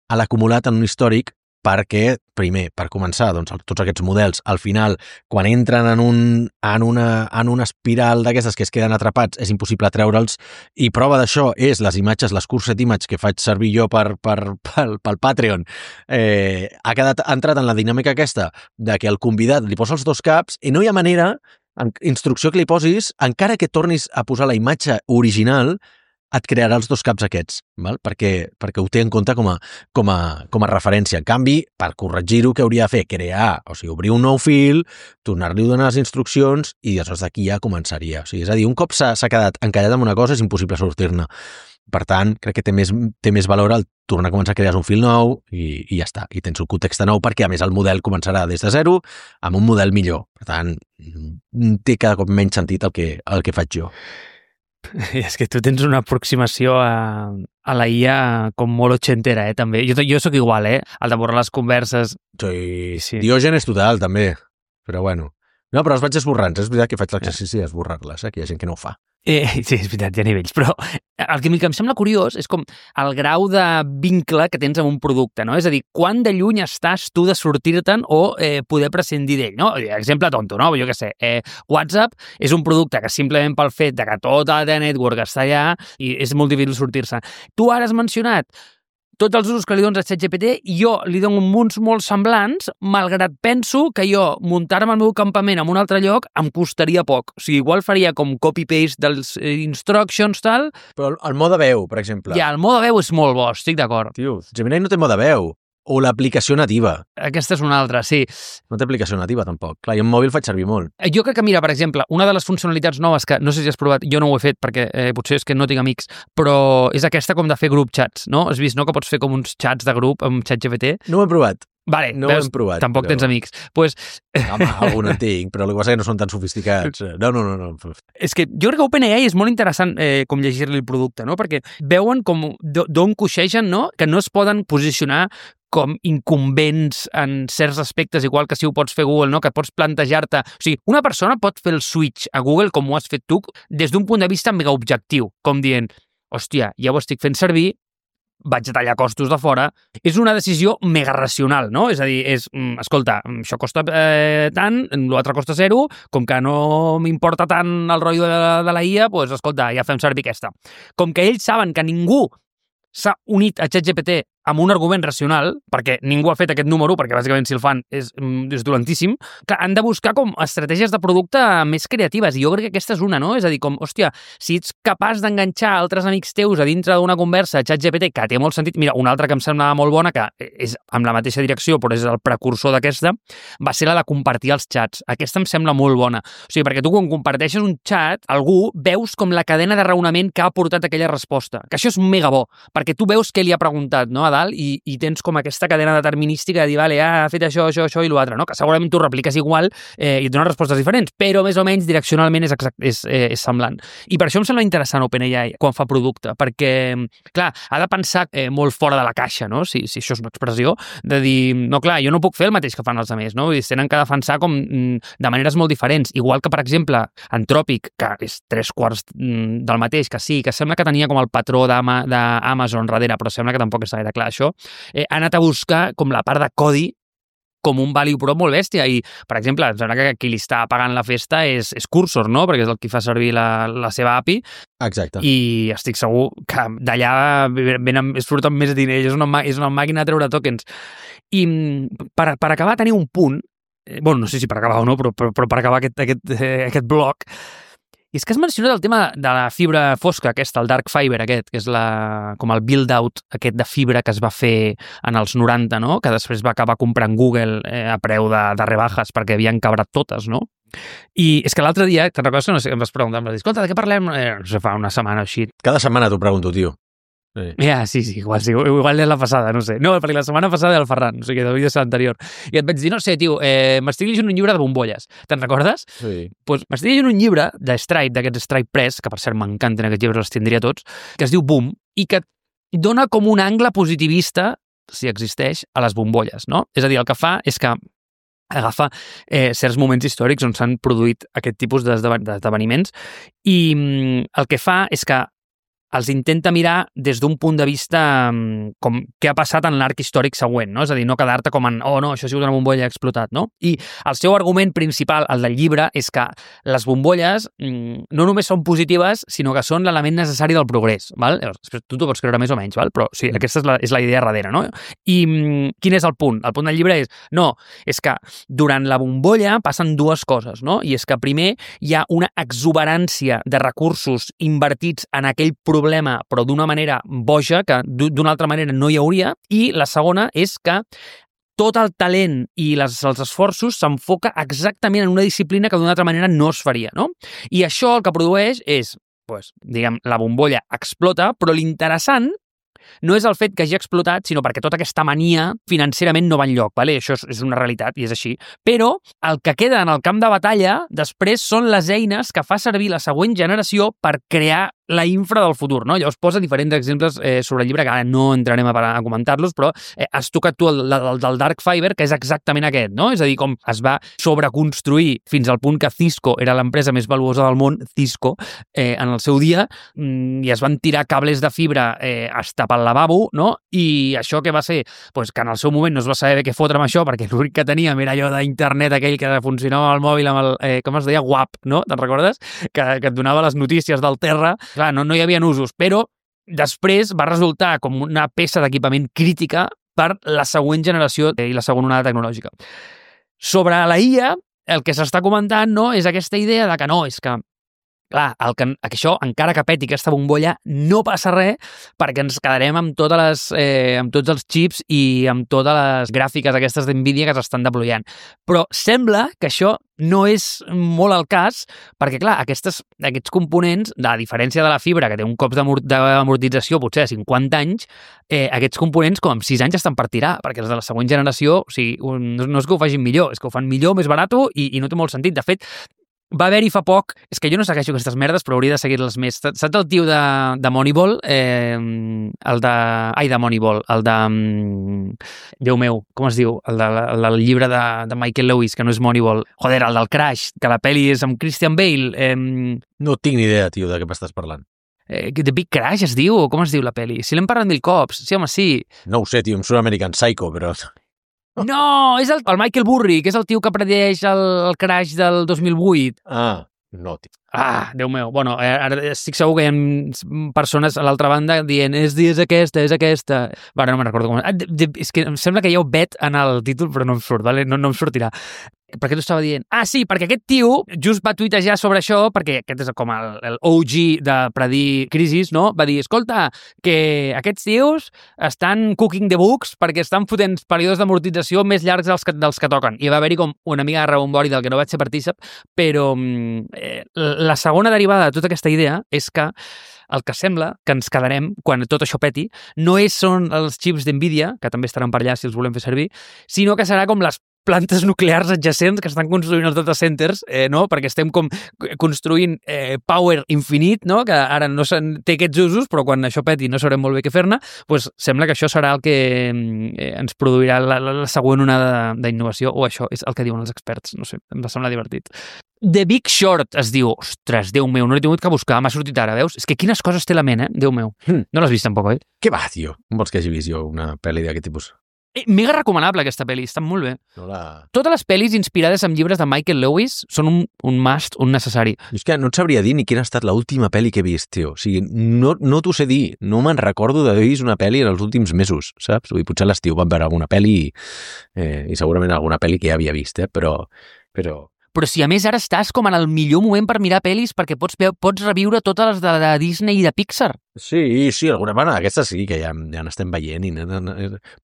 a l'acumulat en un històric perquè, primer, per començar, doncs, tots aquests models, al final, quan entren en, un, en, una, en una espiral d'aquestes que es queden atrapats, és impossible treure'ls, i prova d'això és les imatges, les Cursed Image que faig servir jo per, per, pel, pel Patreon, eh, ha quedat ha entrat en la dinàmica aquesta de que el convidat li posa els dos caps i no hi ha manera, en instrucció que li posis, encara que tornis a posar la imatge original, et crearà els dos caps aquests, val? Perquè, perquè ho té en compte com a, com, a, com a referència. En canvi, per corregir-ho, què hauria de fer? Crear, o sigui, obrir un nou fil, tornar-li a donar les instruccions i llavors d'aquí ja començaria. O sigui, és a dir, un cop s'ha quedat encallat amb una cosa és impossible sortir-ne. Per tant, crec que té més, té més valor el tornar a començar a crear un fil nou i, i ja està. I tens un context nou perquè, a més, el model començarà des de zero amb un model millor. Per tant, té cada cop menys sentit el que, el que faig jo. És que tu tens una aproximació a, a la I A com molt ochentera, eh, també. Jo, jo sóc igual, eh, el de borrar les converses. Sí, sí. Diògenes total, també. Però bueno. No, però els vaig esborrant. És veritat que faig l'exercici d'esborrar-les, eh, que hi ha gent que no ho fa. Eh, sí, és veritat, hi ha nivells, però el que, el que em sembla curiós és com el grau de vincle que tens amb un producte, no? És a dir, quan de lluny estàs tu de sortir-te'n o eh, poder prescindir d'ell, no? Exemple tonto, no? Jo què sé, eh, WhatsApp és un producte que simplement pel fet de que tota la network està allà i és molt difícil sortir-se. Tu ara has mencionat tots els usos que li dones a ChatGPT i jo li dono uns molt semblants, malgrat penso que jo muntar-me el meu campament en un altre lloc em costaria poc. O sigui, igual faria com copy-paste dels instructions, tal. Però el mode veu, per exemple. Ja, el mode veu és molt bo, estic d'acord. Tio, Gemini no té mode veu. O l'aplicació nativa. Aquesta és una altra, sí. No té aplicació nativa, tampoc. Clar, jo en mòbil faig servir molt. Jo crec que, mira, per exemple, una de les funcionalitats noves que no sé si has provat, jo no ho he fet perquè eh, potser és que no tinc amics, però és aquesta com de fer group chats, no? Has vist, no?, que pots fer com uns chats de grup amb ChatGPT? No ho he provat. Vale, no veus, ho hem provat. Tampoc però... tens amics. Pues... Home, algun en tinc, però el que passa és que no són tan sofisticats. No, no, no. no. És que jo crec que OpenAI és molt interessant eh, com llegir-li el producte, no? Perquè veuen com d'on coixegen, no?, que no es poden posicionar com incumbents en certs aspectes, igual que si ho pots fer Google, no?, que pots plantejar-te... O sigui, una persona pot fer el switch a Google, com ho has fet tu, des d'un punt de vista mega objectiu, com dient, hòstia, ja ho estic fent servir, vaig a tallar costos de fora. És una decisió mega racional, no? És a dir, és, escolta, això costa eh, tant, l'altre costa zero, com que no m'importa tant el rotllo de, de la I A, doncs, escolta, ja fem servir aquesta. Com que ells saben que ningú s'ha unit a ChatGPT amb un argument racional, perquè ningú ha fet aquest número, perquè bàsicament si el fan és, és dolentíssim, que han de buscar com estratègies de producte més creatives, i jo crec que aquesta és una, no? És a dir, com, hòstia, si ets capaç d'enganxar altres amics teus a dintre d'una conversa a ChatGPT, que té molt sentit, mira, una altra que em semblava molt bona, que és amb la mateixa direcció, però és el precursor d'aquesta, va ser la de compartir els xats. Aquesta em sembla molt bona. O sigui, perquè tu quan comparteixes un xat, algú veus com la cadena de raonament que ha portat aquella resposta, que això és mega bo, perquè tu veus què li ha preguntat, no?, a dalt, i, i tens com aquesta cadena determinística de dir, vale, ha fet això, això, això i l'altre, no? Que segurament tu repliques igual eh, i et dones respostes diferents, però més o menys direccionalment és, exact, és, eh, és semblant. I per això em sembla interessant OpenAI quan fa producte, perquè, clar, ha de pensar eh, molt fora de la caixa, no?, si, si això és una expressió, de dir, no, clar, jo no puc fer el mateix que fan els altres, no? Vull dir, tenen que defensar com de maneres molt diferents, igual que, per exemple, Anthropic, que és tres quarts del mateix, que sí, que sembla que tenia com el patró d'Amazon darrere, però sembla que tampoc està gaire clar això, eh, ha anat a buscar com la part de codi com un value prop molt bèstia i, per exemple, em sembla que qui li està pagant la festa és, és Cursor, no?, perquè és el qui fa servir la, la seva A P I. Exacte. I estic segur que d'allà venen, es surten més diners, és una, és una màquina de treure tokens. I per, per acabar tenir un punt, eh, bueno, no sé si per acabar o no, però, però, però per acabar aquest, aquest, eh, aquest bloc, i és que has mencionat el tema de la fibra fosca aquesta, el dark fiber aquest, que és la, com el build-out aquest de fibra que es va fer en els noranta, no?, que després va acabar comprant Google eh, a preu de, de rebajas perquè havien cabrat totes, no? I és que l'altre dia, te'n recordes que no sé, em vas preguntar, em vas dir, escolta, de què parlem? Eh, no sé, fa una setmana o així. Cada setmana t'ho pregunto, tio. Sí. Ja, sí, sí, igual, sí, igual és la passada, no sé. No, perquè la setmana passada era el Ferran, o sigui, devia ser l'anterior. I et vaig dir, no sé, tio, eh, m'estic llegint un llibre de bombolles. Te'n recordes? Sí. Pues m'estic llegint un llibre de Stripe, d'aquests Stripe Press, que per cert m'encanten aquests llibres, els tindria tots, que es diu Boom, i que dona com un angle positivista, si existeix, a les bombolles, no? És a dir, el que fa és que agafa eh, certs moments històrics on s'han produït aquest tipus d'esdeveniments i mm, el que fa és que els intenta mirar des d'un punt de vista com què ha passat en l'arc històric següent, no? És a dir, no quedar-te com en, oh no, això ha sigut una bombolla explotat, no? I el seu argument principal, el del llibre, és que les bombolles no només són positives, sinó que són l'element necessari del progrés, val? Després, tu t'ho pots creure més o menys, val? Però sí, aquesta és la, és la idea darrere, no? I quin és el punt? El punt del llibre és, no, és que durant la bombolla passen dues coses, no? I és que primer hi ha una exuberància de recursos invertits en aquell progrés problema, però d'una manera boja, que d'una altra manera no hi hauria, i la segona és que tot el talent i les, els esforços s'enfoca exactament en una disciplina que d'una altra manera no es faria, no? I això el que produeix és, pues, diguem, la bombolla explota, però l'interessant no és el fet que hagi explotat, sinó perquè tota aquesta mania financerament no va enlloc, vale? Això és, és una realitat i és així. Però el que queda en el camp de batalla després són les eines que fa servir la següent generació per crear la infra del futur, no? Llavors posa diferents exemples eh, sobre el llibre, que ara no entrarem a, a comentar-los, però eh, has tocat tu el, el, del Dark Fiber, que és exactament aquest, no? És a dir, com es va sobreconstruir fins al punt que Cisco era l'empresa més valuosa del món, Cisco, eh, en el seu dia, mm, i es van tirar cables de fibra eh, hasta pel lavabo, no? I això què va ser? Pues que en el seu moment no es va saber què fotre amb això, perquè l'únic que teníem era allò d'internet aquell que funcionava al mòbil amb el, eh, com es deia, W A P, no? Te'n recordes? Que, que et donava les notícies del terra. Clar, no, no hi havia usos, però després va resultar com una peça d'equipament crítica per la següent generació i la segona onada tecnològica. Sobre la I A, el que s'està comentant, no, és aquesta idea de que no, és que clar, el que, que això, encara que peti aquesta bombolla, no passa res perquè ens quedarem amb, totes les, eh, amb tots els xips i amb totes les gràfiques aquestes d'Nvidia que s'estan deployant. Però sembla que això no és molt el cas perquè, clar, aquestes, aquests components, a diferència de la fibra, que té un cop d'amortització potser de cinquanta anys, eh, aquests components com amb sis anys estan per tirar, perquè els de la següent generació, o sigui, no, no és que ho facin millor, és que ho fan millor, més barat i, i no té molt sentit. De fet, va haver-hi fa poc, és que jo no segueixo aquestes merdes, però hauria de seguir-les més. Saps el tio de, de Moneyball? Eh, el de... Ai, de Moneyball. El de... Déu meu, com es diu? El, de, el del llibre de, de Michael Lewis, que no és Moneyball. Joder, el del Crash, que la pel·li és amb Christian Bale. Eh, no tinc ni idea, tio, de què m'estàs parlant. Eh, The Big Crash es diu? Com es diu la pel·li? Si l'hem parlat mil cops. Sí, home, sí. No ho sé, tio, em surt American Psycho, però... No, és el, el Michael Burry, que és el tio que predeix el, el crash del dos mil vuit. Ah, no, tio. Ah, Déu meu. Bueno, ara estic segur que hi ha persones a l'altra banda dient és, és aquesta, és aquesta. Va, no me'n recordo com... Ah, de, de, és que em sembla que hi ha un bet en el títol, però no em surt, vale? no, no em sortirà. Per què t'ho estava dient? Ah, sí, perquè aquest tio just va tuitejar sobre això, perquè aquest és com el, el O G de predir crisis, no? Va dir, escolta, que aquests tios estan cooking the books perquè estan fotent períodes d'amortització més llargs dels que, dels que toquen. I va haver-hi com una mica de rebombori del que no vaig ser partícip, però eh, la segona derivada de tota aquesta idea és que el que sembla que ens quedarem quan tot això peti no és, són els xips d'Nvidia, que també estaran per allà si els volem fer servir, sinó que serà com les plantes nuclears adjacents que estan construint els data centers, eh, no? Perquè estem com construint eh, power infinit, no? Que ara no té aquests usos, però quan això peti no sabrem molt bé què fer-ne, doncs sembla que això serà el que eh, ens produirà la, la, la següent onada d'innovació, o això és el que diuen els experts, no sé, em va semblar divertit. The Big Short es diu, ostres, Déu meu, no l'he tingut que buscar, m'ha sortit ara, veus? És que quines coses té la ment, eh? Déu meu. Hmm. No l'has vist tampoc, oi? Què va, tio? Com vols que hagi vist jo una pel·li d'aquest tipus? Eh, mega recomanable aquesta pel·li, està molt bé. No la... Totes les pel·lis inspirades en llibres de Michael Lewis són un, un must, un necessari. Jo és que no et sabria dir ni quina ha estat l'última pel·li que he vist, tio. O sigui, no, no t'ho sé dir. No me'n recordo d'haver vist una pel·li en els últims mesos, saps? Vull dir, potser a l'estiu vam veure alguna pel·li eh, i segurament alguna pel·li que ja havia vist, eh? Però... però... Però si a més ara estàs com en el millor moment per mirar pel·lis perquè pots, pots reviure totes les de, de Disney i de Pixar. Sí, sí, alguna manera. Aquestes sí, que ja, ja n'estem veient. I,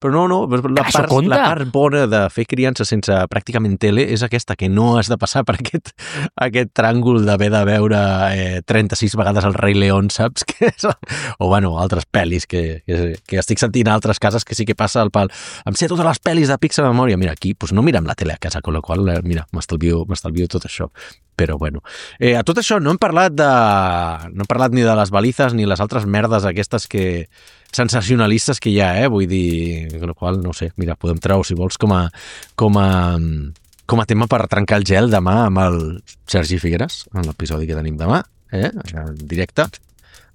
però no, no, la part, la part bona de fer criança sense pràcticament tele és aquesta, que no has de passar per aquest, aquest tràngol d'haver de veure eh, trenta-sis vegades el Rei León, saps? Que és, o, bueno, altres pel·lis que, que, que estic sentint a altres cases que sí que passa el pal. Em sé totes les pel·lis de Pixar de memòria. Mira, aquí pues no mirem la tele a casa, con la qual, mira, m'estalvio, m'estalvio tot això. Però, bueno, eh, a tot això no hem parlat de... no hem parlat ni de les balizes ni les altres merdes aquestes que... sensacionalistes que hi ha, eh? Vull dir, con la qual, no sé, mira, podem treure, si vols, com a, com a, com a tema per trencar el gel demà amb el Sergi Figueres, en l'episodi que tenim demà, eh? En directe.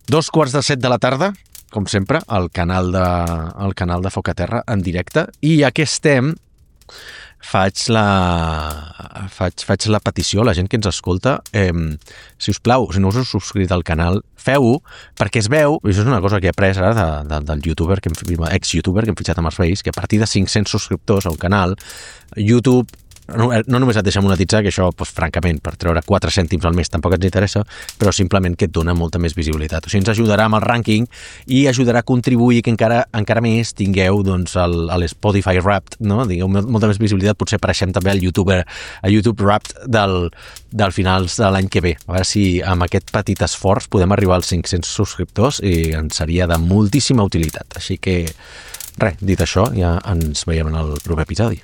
Dos quarts de set de la tarda, com sempre, al canal de, al canal de Foc a Terra, en directe. I ja que estem... Faig la, faig, faig la petició a la gent que ens escolta, eh, si us plau, si no us heu subscrit al canal, feu-ho, perquè es veu, i això és una cosa que he après ara de, de, del youtuber, que hem, ex-youtuber que hem fitxat amb els Reis, que a partir de cinc-cents subscriptors al canal, YouTube no, no només et deixa monetitzar, que això, doncs, francament, per treure quatre cèntims al mes tampoc ens interessa, però simplement que et dona molta més visibilitat. O sigui, ens ajudarà amb el rànquing i ajudarà a contribuir que encara encara més tingueu doncs, el, el Spotify Wrapped, no? Digueu molta més visibilitat, potser apareixem també al YouTube, a YouTube Wrapped del, del finals de l'any que ve. A veure si amb aquest petit esforç podem arribar als cinc-cents subscriptors i ens seria de moltíssima utilitat. Així que, res, dit això, ja ens veiem en el proper episodi.